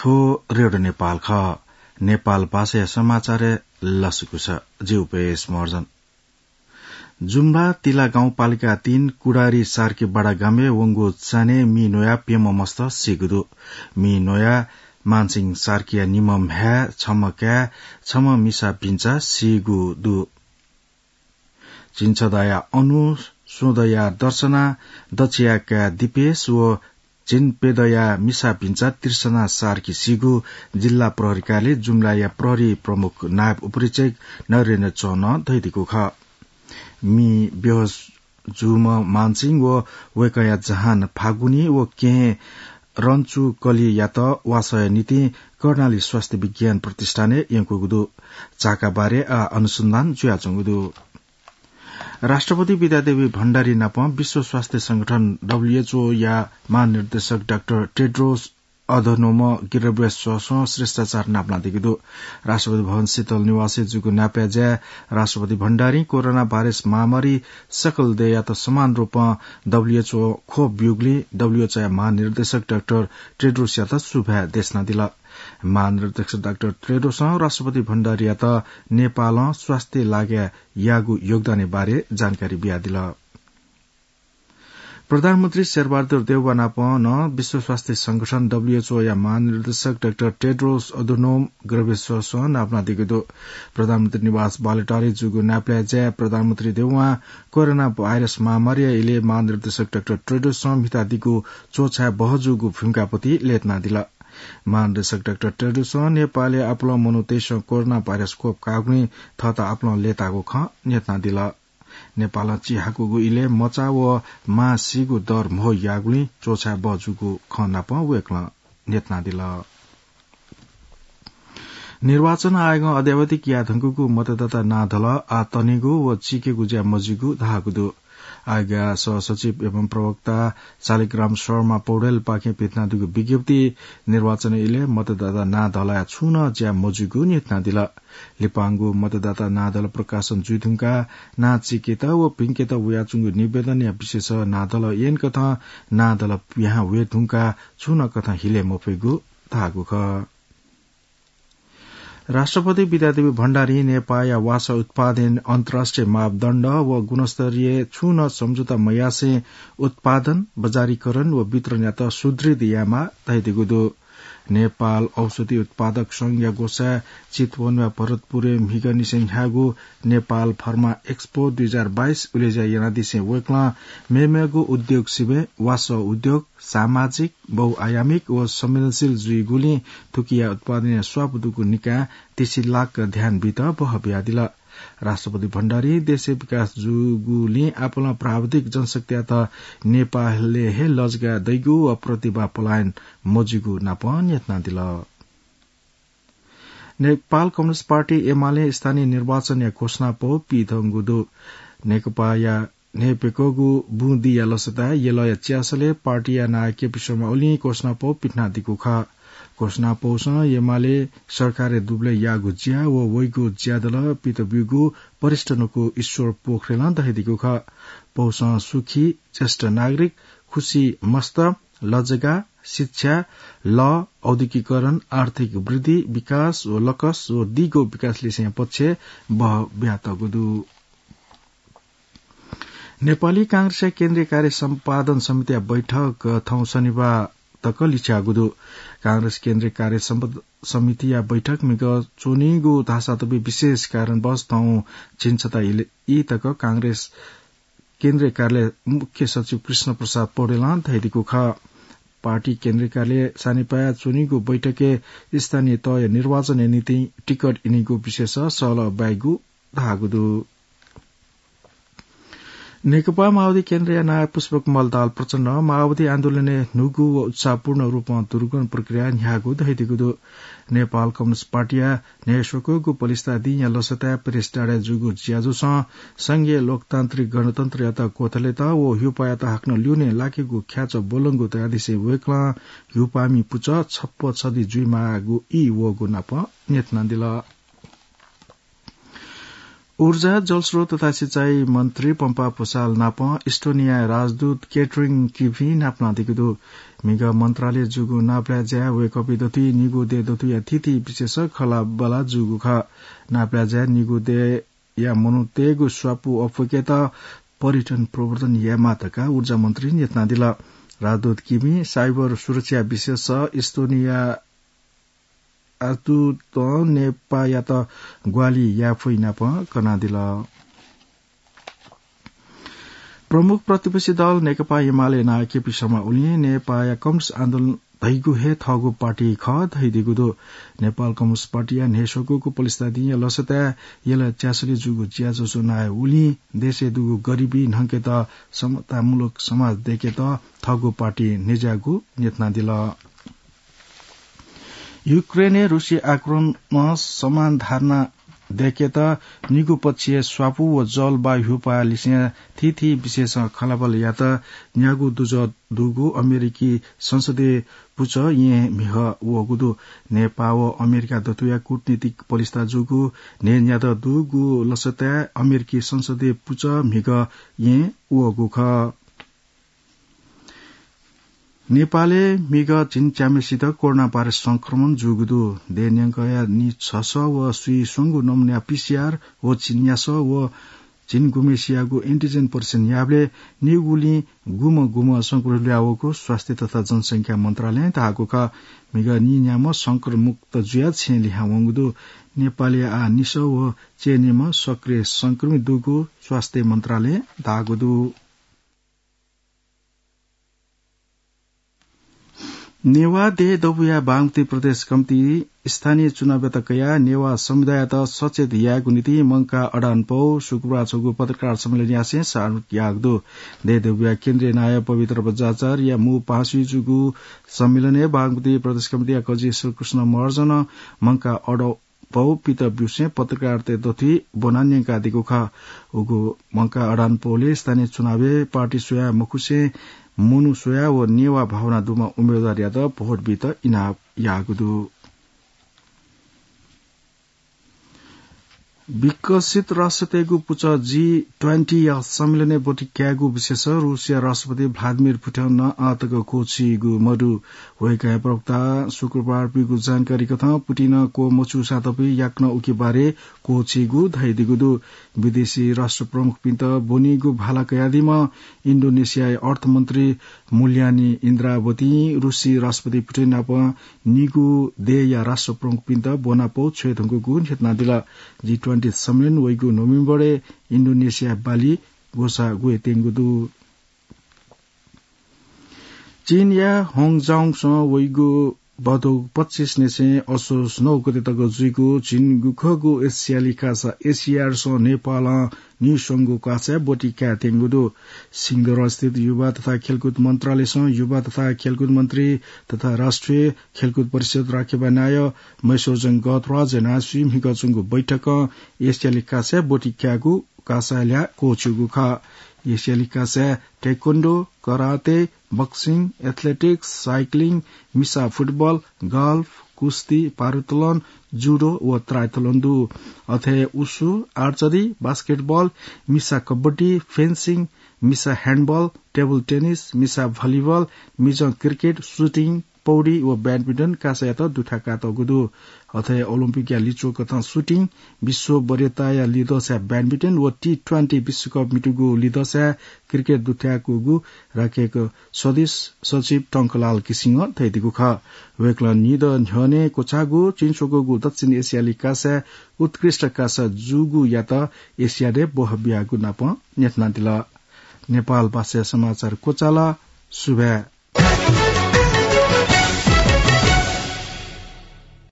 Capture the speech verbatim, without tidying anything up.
थ्व रेडियो नेपाल खः। नेपाल भाषाया समाचारय् लसकुस। जि उपेश महर्जन। जुम्ला तिला गाउँपालिका तीन कुडारी सार्की बडा गामय् वंगु चान्हय् मि न्वयाः प्यम्ह मस्त सीगु दु। मि न्वयाः मानसिंह सार्कीया निम्ह म्ह्याय्, छम्ह काय्, छम्ह मिसा भिन्चा सीगु दु। झिंछदाया अनु, स्वदया दर्शना, दछिया काय् दिपेश व झिंपेदया मिसा भिन्चा तृष्णा सार्की सीगु जिल्ला प्रहरी कार्यालय जुम्लाया प्रहरी प्रमुख नायब उपरीक्षक नरेन्द्र चौहानं धयादीगु खः। मि बेहोस जूम्ह मानसिंह व वय्कःया जहान फागुनी व केहेँ रन्चु कलियात वासःया निंतिं कर्णाली स्वास्थ्य विज्ञान प्रतिष्ठानय् यंकूगु दु। चाःका बारे आः अनुसन्धान जुयाच्वंगु दु। राष्ट्रपति विद्यादेवी भण्डारी नाप विश्व स्वास्थ्य संगठन, डब्ल्यूएचओ, या महानिर्देशक डाक्टर टेड्रोस अधनोम गेब्रेयेससं श्रेष्ठाचार नापलादीगु दु। राष्ट्रपति भवन शीतल निवासय् जूगु नापलाये ज्याय् राष्ट्रपति भण्डारीं कोरोना भाइरस महामारी सकल देय्‌यात समान रूपं डब्ल्यूएचओ खोप ब्यूगुलिं डब्ल्यूएचओया महानिर्देशक डाक्टर टेड्रोसयात सुभाय् देछानादिल। महानिर्देशक डाक्टर टेड्रोसं राष्ट्रपति भण्डारीयात नेपालं स्वास्थ्य लागाय् याःगु योगदानया बारे जानकारी बियादिल। प्रधानमन्त्री शेरबहादुर देउवा नाप नं विश्व स्वास्थ्य संगठन, डब्ल्यूएचओ, या महानिर्देशक डाक्टर टेड्रोस अधनोम गेब्रेयेससं नापलादीगु दु। प्रधानमन्त्री निवास बालुवाटारय् जूगु नापलाये ज्याय् प्रधानमन्त्री देउवां कोरोना भाइरस महामारीया इलय् महानिर्देशक डाक्टर टेड्रोसं म्हितादीगु च्वछाय् बहःजूगु भूमिकाप्रति लय्तानादिल। महानिर्देशक डाक्टर टेड्रोसं नेपालय् आपालं मनूतय्‌सं कोरोना भाइरस खोप काःगुलिं थःत आपालं लय्ताःगु खँ न्ह्यथनादिल। नेपालं चिहाकूगु इलय् मचा व मां सीगु दर म्हो याःगुलिं च्वछाय् बहःजूगु खँ नाप वय्कलं न्ह्यथनादिल। निर्वाचन आयोगं अद्यावधिक याये धुंकूगु मतदाता नां धलः आः तनेगु व चीकेगु ज्या मजुइगु धाःगु दु। आयोगया सहसचिव एवं प्रवक्ता शालिग्राम शर्मा पौडेलपाखें पिथनादीगु विज्ञप्तिइ निर्वाचन इलय् मतदाता नां धलःया छुं नं ज्या मजुइगु न्ह्यथनादिल। लिपांगु मतदाता नां धलः प्रकाशन जुइधुंकाः नां चीकेत व भिंकेत वयाच्वंगु निवेदनया विशेष नां धलः यंकथं नां धलः पिहां वये धुंकाः छुं नं कथं हिले मफइगु धाःगु खः। राष्ट्रपति विद्यादेवी भण्डारीं नेपाःया वासः उत्पादन अन्तर्राष्ट्रिय मापदण्ड व गुणस्तरीय छुं नं सम्झौता मयासें उत्पादन, बजारीकरण व वितरणयात सुदृढ यायेमाः धयादीगु दु। नेपाल औषधि उत्पादक संघया ग्वसाय् चितवनया भरतपुरय् म्हिगःनिसें न्ह्याःगु नेपाल फर्मा एक्सपो दुई हजार बाइस उलेज्या यानादिसें वय्कलं मेमेगु उद्योग सिबें वासः उद्योग सामाजिक, बहुआयामिक व संवेदनशील जुइगुलिं थुकिया उत्पादनया स्वापू दुगु निकायं तिसिलाक ध्यान बीत बहः बियादिल। राष्ट्रपति भण्डारीं देशय् विकास जूगुलिं आपालं प्राविधिक जनशक्तियात नेपालय् हे लजगाः दइगु व प्रतिभा पलायन मजुइगु नाप न्ह्यथनादिल। नेपाल कम्युनिस्ट पार्टी एमालें स्थानीय निर्वाचनया घोषणापौ पिधंगु दु। नेकपाया न्हय्‌प्यकःगु बुँदिया लसताय् यलया च्यासलय् पार्टीया नायः केपी शर्मा ओलीं घोषणापौ पिथनादीगु खः। घोषणापौसं एमाले सरकारय् दुबलय् याःगु ज्या व वइगु ज्यादल पित ब्यूगु वरिष्ठ न्वकू ईश्वर पोखरेलं धयादीगु खः। पौसं सुखी, ज्येष्ठ नागरिक, खुसी मस्त, लजगाः, शिक्षा, लः, औद्योगिकीकरण, आर्थिक वृद्धि, विकास व लकस व दीगो विकास लिसें पक्षय् बहः बियातःगु दु। नेपाली कांग्रेसया केन्द्रीय कार्य सम्पादन समितिया बैठक थौं शनिबार तक लिच्याःगु दु। कांग्रेस केन्द्रीय कार्य सम्प-, समितिया बैठक म्हिगः च्वनीगु धाःसा तबि विशेष कारणवश थौं झिंछता इले-, ई तक कांग्रेस केन्द्रीय कार्यालय मुख्य सचिव कृष्ण प्रसाद पौडेलं धयादीगु खः। पार्टी केन्द्रीय कार्यालय सानिपाय् च्वनीगु बैठकय् स्थानीय तहया निर्वाचनया निंतिं टिकट इनीगु विषयस सहलह ब्वाइगु धाःगु दु। नेकपा माओवादी केन्द्रया नायः पुष्पकमल दाहाल प्रचण्डं माओवादी आन्दोलनय् न्हूगु व उत्साहपूर्ण रूपं दुरुगन प्रक्रिया न्ह्याःगु धयादीगु दु। नेपाल कम्युनिस्ट पार्टीया न्हय्‌स्वकःगु पलिस्था दिंया लसताय् प्रेस डाँडाय् जूगु ज्याझ्वलं संघीय लोकतान्त्रिक गणतन्त्रयात क्वथलेत व ह्युपायात हाकनं ल्यूने लाकेगु ख्याच्वः ब्वलंगु धयादिसें वय्‌कलं ह्युपामि पुचः छप्पँ छधि जुइमाःगु ई वःगु नाप न्ह्यथनादिल। ऊर्जा, जलस्रोत तथा सिँचाइ मन्त्री पम्पा भुसाल नाप इस्टोनियाया राजदूत केटरिन किभिं नापलादीगु दु। म्हिगः मन्त्रालय जूगु नापलाये ज्याय् वय्कःपिं दथुइ निगू देय् दथुइया थीथी विशेष खँल्हाबल्हा जूगु खः। नापलाये ज्याय् निगू देय्या मनूतय्गु स्वापू अप्वय्केत पर्यटन प्रवर्धन यायेमाः धकाः ऊर्जा मन्त्रीं न्ह्यथनादिल। राजदूत किमि साइबर सुरक्षा विशेष इस्तोनिया आतुतं नेपाःयात ग्वाहालि याये फइ नापं कनादिल। प्रमुख प्रतिपक्षी दल नेकपा एमाले नायः केपी शर्मा ओलीं नेपाःया कम्युनिस्ट आन्दोलन धइगु हे थःगु पार्टी खः धइदिगु दु। नेपाल कम्युनिस्ट पार्टीया न्हय्स्वकूगु पलिस्था दिंया लसताय् यल च्यासलय् जूगु ज्याझ्वः नायः ओलीं देशय् दुगु गरिबी न्हंकेत समतामूलक समाज दय्केत थःगु पार्टी न्ह्यज्याःगु न्ह्यथनादिल। युक्रेनय् रुसी आक्रमणं समान धारणा दय्केत निगू पक्षय् स्वापू व जलवायु ह्यूपाः लिसें थीथी विषयसं खँल्हाबल्हा यायेत न्यागू दुजः दुगु अमेरिकी संसदीय पुचः येँ म्हिगः वःगु दु। नेपाः व अमेरिका दथुया कूटनीतिक पलिस्था जूगु न्हय्न्यादँ दुगु लसताय् अमेरिकी संसदीय पुचः म्हिगः येँ वःगु खः। नेपालय् म्हिगः झिंच्याम्हेसित कोरोना भाइरस संक्रमण जूगु दु। देय् न्यंकया निछसः व स्वीस्वंगू नमुनाया पीसीआर व झिंन्यासः व झिंगुम्हेसियागु एन्टिजेन परीक्षण याःबलय् निगुलिं गुम्ह गुम्ह संक्रमित ल्हुयावःगु स्वास्थ्य तथा जनसंख्या मन्त्रालयं धाःगु खः। म्हिगः नीन्याम्ह संक्रमणमुक्त जुयाः छेँय् लिहां वंगु दु। नेपालय् आः निसः व चय्न्याम्ह सक्रिय संक्रमित दुगु स्वास्थ्य मन्त्रालयं धाःगु दु। नेवाः देय् दबूया बागमती प्रदेश कमिटी स्थानीय चुनावयात कयाः नेवाः समुदाययात सचेत यायेगु निंतिं मंकाः अडानपौ शुक्रबार छगू पत्रकार सम्मेलन यासें सार्वजनिक याःगु दु। देय् दबूया केन्द्रीय नायः पवित्र बज्राचार्यया मू पासाय् जूगु सम्मेलनय् बागमती प्रदेश कमिटीया कजि श्रीकृष्ण महर्जनं मंकाः अडानपौ पित ब्यूसें पत्रकारतय् दथुइ ब्वनाः न्यंकादीगु खः। उगु मंकाः अडानपौलय् स्थानीय चुनावय् पार्टी स्वयाः मखुसें मनू स्वयाः व नेवाः भावना दुम्ह उम्मेदवारयात भोट बीत इनाप याःगु दु। विकसित राष्ट्रतय्गु पुचः जी ट्वेन्टी या सम्मेलनय् ब्वति कायेगु विषयस रूसया राष्ट्रपति भ्लादिमिर पुटिनं आःतक क्वःछीगु मदु। वय्कःया प्रवक्तां शुक्रबार ब्यूगु जानकारी कथं पुटिनं क्वमछूसां तपि याकनं उकी बारे क्वःछीगु धयादीगु दु। विदेशी राष्ट्र प्रमुखपिन्त ब्वनीगु भाला कयादीम्ह इन्डोनेसियाया अर्थमन्त्री मुल्यानी इन्द्रावतीं रूसी राष्ट्रपति पुटिन नाप निगू देय्या राष्ट्र प्रमुखपिन्त ब्वनापौ छ्वये धुंकूगु न्ह्यथनादिल। जी ट्वेन्टी सम्मेलन वइगु नोभेम्बरय् इन्डोनेसिया बाली ग्वसाः ग्वयेत्यंगु दु। चीनया होङजाउङसं वइगु भदौ पच्चिस निसें असोज नौ गते तक जुइगु झिंगुखःगु एसियाली कासा एसियाडसं नेपालं नीस्वंगु कासाय् ब्वति कायेत्यंगु दु। सिंहदरबारस्थित युवा तथा खेलकुद मन्त्रालयसं युवा तथा खेलकुद मन्त्री तथा राष्ट्रिय खेलकुद परिषद राखेबा नायः महेश्वरजंग गहतराज यानाः स्वीम्हिगः च्वंगु बैठकं एसियाली कासाय् ब्वति कायेगु कासाय् ल्याः क्वःछिउगु खः। एसियाली कासाय् taekwondo, karate, boxing, athletics, cycling, मिसा फुटबल, गल्फ, कुस्ती, भारोत्तोलन, जुडो व triathlon दु। अथे उसु, archery, basketball, मिसा कबड्डी, fencing, मिसा handball, table tennis, मिसा volleyball, मिजं cricket, shooting, पौडी व badminton कासायात दुथ्याकातःगु दु। अथे ओलम्पिकया लिच्वः कथं shooting, विश्व वरीयताया लिधंसाय् badminton व टी ट्वेन्टी विश्वकप म्हितूगु लिधंसाय् cricket दुथ्याकूगु राकेक सदस्य सचिव टंकलाल घिसिङं धयादीगु खः। वय्कलं निदँ न्ह्यःने क्वचाःगु चिंस्वकूगु दक्षिण एसियाली कासाय् उत्कृष्ट कासा जूगुयात एसियाडय् ब्वह बियागु नाप न्ह्यथनादिल। नेपाल भाषाया समाचार क्वचाल। सुभाय्।